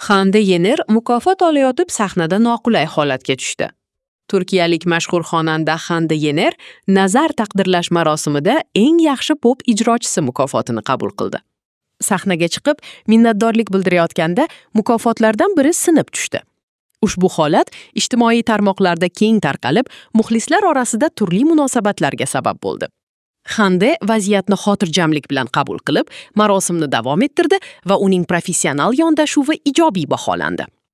Hande Yener mukofot olayotib sahnada noqulay holatga tushdi. Turkiyalik mashhur xonanda Hande Yener Nazar taqdirlash marosimida eng yaxshi pop ijrochisi mukofotini qabul qildi. Sahnaga chiqib, minnatdorlik bildirayotganda mukofotlardan biri sinib tushdi. Ushbu holat ijtimoiy tarmoqlarda keng tarqalib, muxlislar orasida turli munosabatlarga sabab bo'ldi. Hande vaziyatni xotirjamlik bilan qabul qilib, marosimni davom ettirdi va uning professional yondashuvi ijobiy baholandi.